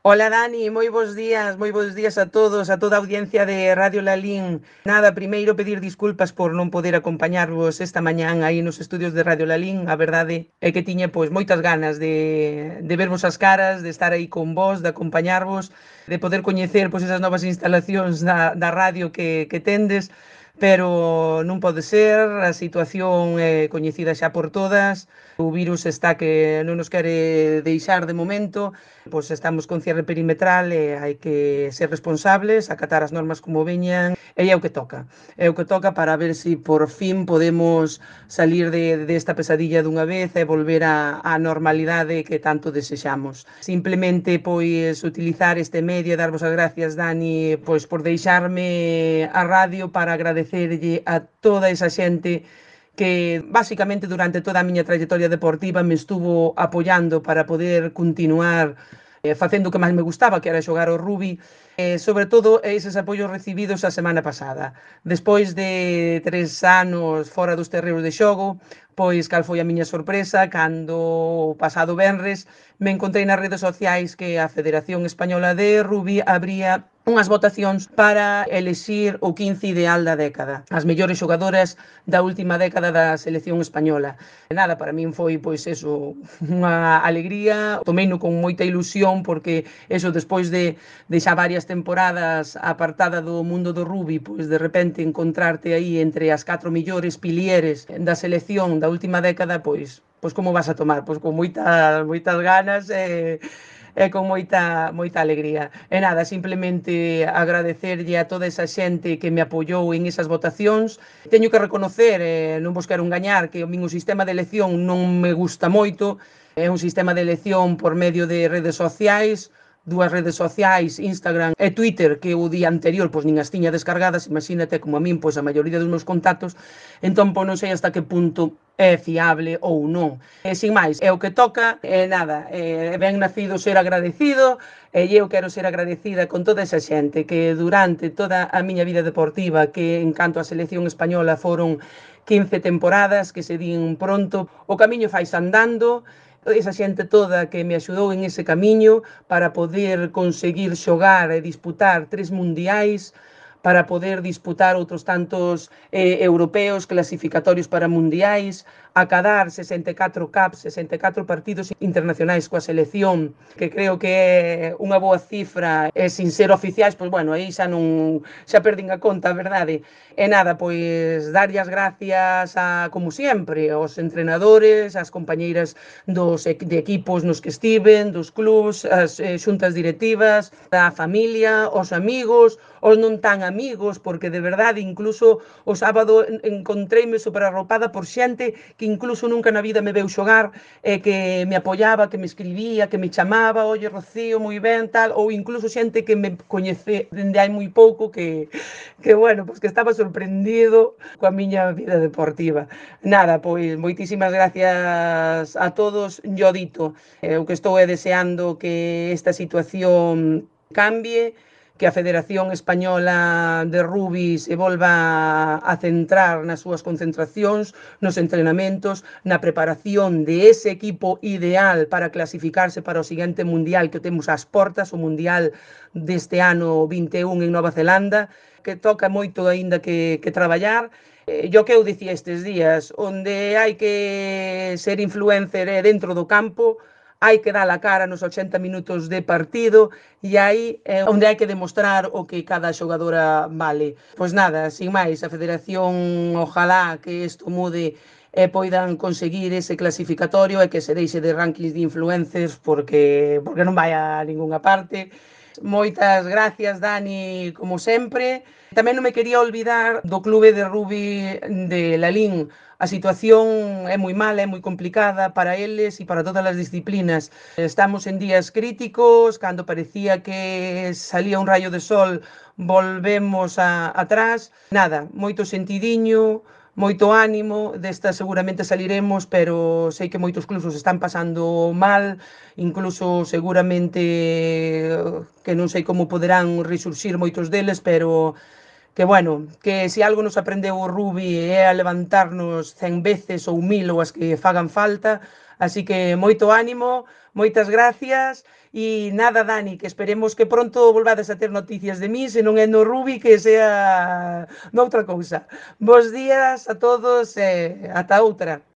Hola Dani, moi bons días a todos, a toda a audiencia de Radio Lalín. Nada, primeiro pedir disculpas por non poder acompañarvos esta mañán aí nos estudios de Radio Lalín. A verdade é que tiña pois moitas ganas de vervos as caras, de estar aí con vos, de acompañarvos, de poder coñecer pois esas novas instalacións da radio que tendes, pero non pode ser, a situación é coñecida xa por todas. O virus está que non nos quere deixar de momento, pois estamos con cierre perimetral e hai que ser responsables, acatar as normas como veñan, e é o que toca. É o que toca para ver se por fin podemos salir desta pesadilla dunha vez e volver á normalidade que tanto desexamos. Simplemente, pois, utilizar este medio e darvos as gracias, Dani, pois, por deixarme a radio para agradecerlle a toda esa xente que basicamente durante toda a miña trayectoria deportiva me estuvo apoiando para poder continuar facendo o que máis me gustaba, que era xogar ao rugby, sobre todo eses apoios recibidos a semana pasada. Despois de 3 anos fora dos terreos de xogo, pois cal foi a miña sorpresa cando o pasado venres me encontrei nas redes sociais que a Federación Española de Rugby abría unhas votacións para elexir o 15 ideal da década, as mellores xogadoras da última década da selección española. E nada, para min foi pois eso, unha alegría, tomeino con moita ilusión porque eso despois de xa varias temporadas apartada do mundo do rugby, pois de repente encontrarte aí entre as 4 millores pilieres da selección da última década, pois como vas a tomar? Pois con moitas ganas e con moita alegría. E nada, simplemente agradecerlle a toda esa xente que me apoiou en esas votacións. Teño que reconocer, non vos quero engañar, que o meu sistema de elección non me gusta moito. É un sistema de elección por medio de redes sociais, dúas redes sociais, Instagram e Twitter, que o día anterior pois nin as tiña descargadas, imagínate como a min, pois a maioría dos meus contactos, entón pois non sei hasta que punto é fiable ou non. E sin máis, é o que toca, e nada, ben nacido ser agradecido, e eu quero ser agradecida con toda esa xente que durante toda a miña vida deportiva, que en canto á selección española foron 15 temporadas, que se din pronto, o camiño fais andando, esa xente toda que me axudou en ese camiño para poder conseguir xogar e disputar 3 mundiais, para poder disputar outros tantos europeos clasificatorios para mundiais, acadar 64 caps, 64 partidos internacionais coa selección, que creo que é unha boa cifra, e sin ser oficiais, pois bueno, aí xa perdín a conta, a verdade. E nada, pois darlle as gracias como sempre, aos entrenadores, ás compañeiras de equipos nos que estiven, dos clubs, as xuntas directivas, a familia, os amigos, os non tan amigos, porque de verdade incluso o sábado encontreime superarropada por xente que incluso nunca na vida me veu xogar, que me apoiaba, que me escribía, que me chamaba, oye Rocío, moi ben, tal, ou incluso xente que me coñece dende hai moi pouco que bueno, pois que estaba sorprendido coa miña vida deportiva. Nada, pois moitísimas gracias a todos, yo dito, o que estou deseando que esta situación cambie, que a Federación Española de Rugby se volva a centrar nas súas concentracións, nos entrenamentos, na preparación de ese equipo ideal para clasificarse para o seguinte mundial que temos ás portas, o mundial deste ano 21 en Nova Zelanda, que toca moito aínda que traballar. Yo que eu dicía estes días, onde hai que ser influencer é dentro do campo, hai que dar a cara nos 80 minutos de partido e aí é onde hai que demostrar o que cada xogadora vale. Pois nada, sin máis, a Federación ojalá que isto mude e poidan conseguir ese clasificatorio e que se deixe de rankings de influencers porque non vai a ningunha parte. Moitas gracias, Dani, como sempre. Tamén non me quería olvidar do clube de rugby de Lalín. A situación é moi mala, é moi complicada para eles e para todas as disciplinas. Estamos en días críticos, cando parecía que salía un rayo de sol, volvemos atrás. Nada, moito sentidiño, moito ánimo, desta seguramente saliremos, pero sei que moitos clubs están pasando mal, incluso seguramente que non sei como poderán resurxir moitos deles, pero que bueno, que se algo nos aprendeu o Rubi é a levantarnos 100 veces ou 1000 ou as que fagan falta, así que moito ánimo, moitas gracias e nada, Dani, que esperemos que pronto volvades a ter noticias de mí, se non é no Rubi que sea noutra cousa. Bos días a todos e ata outra.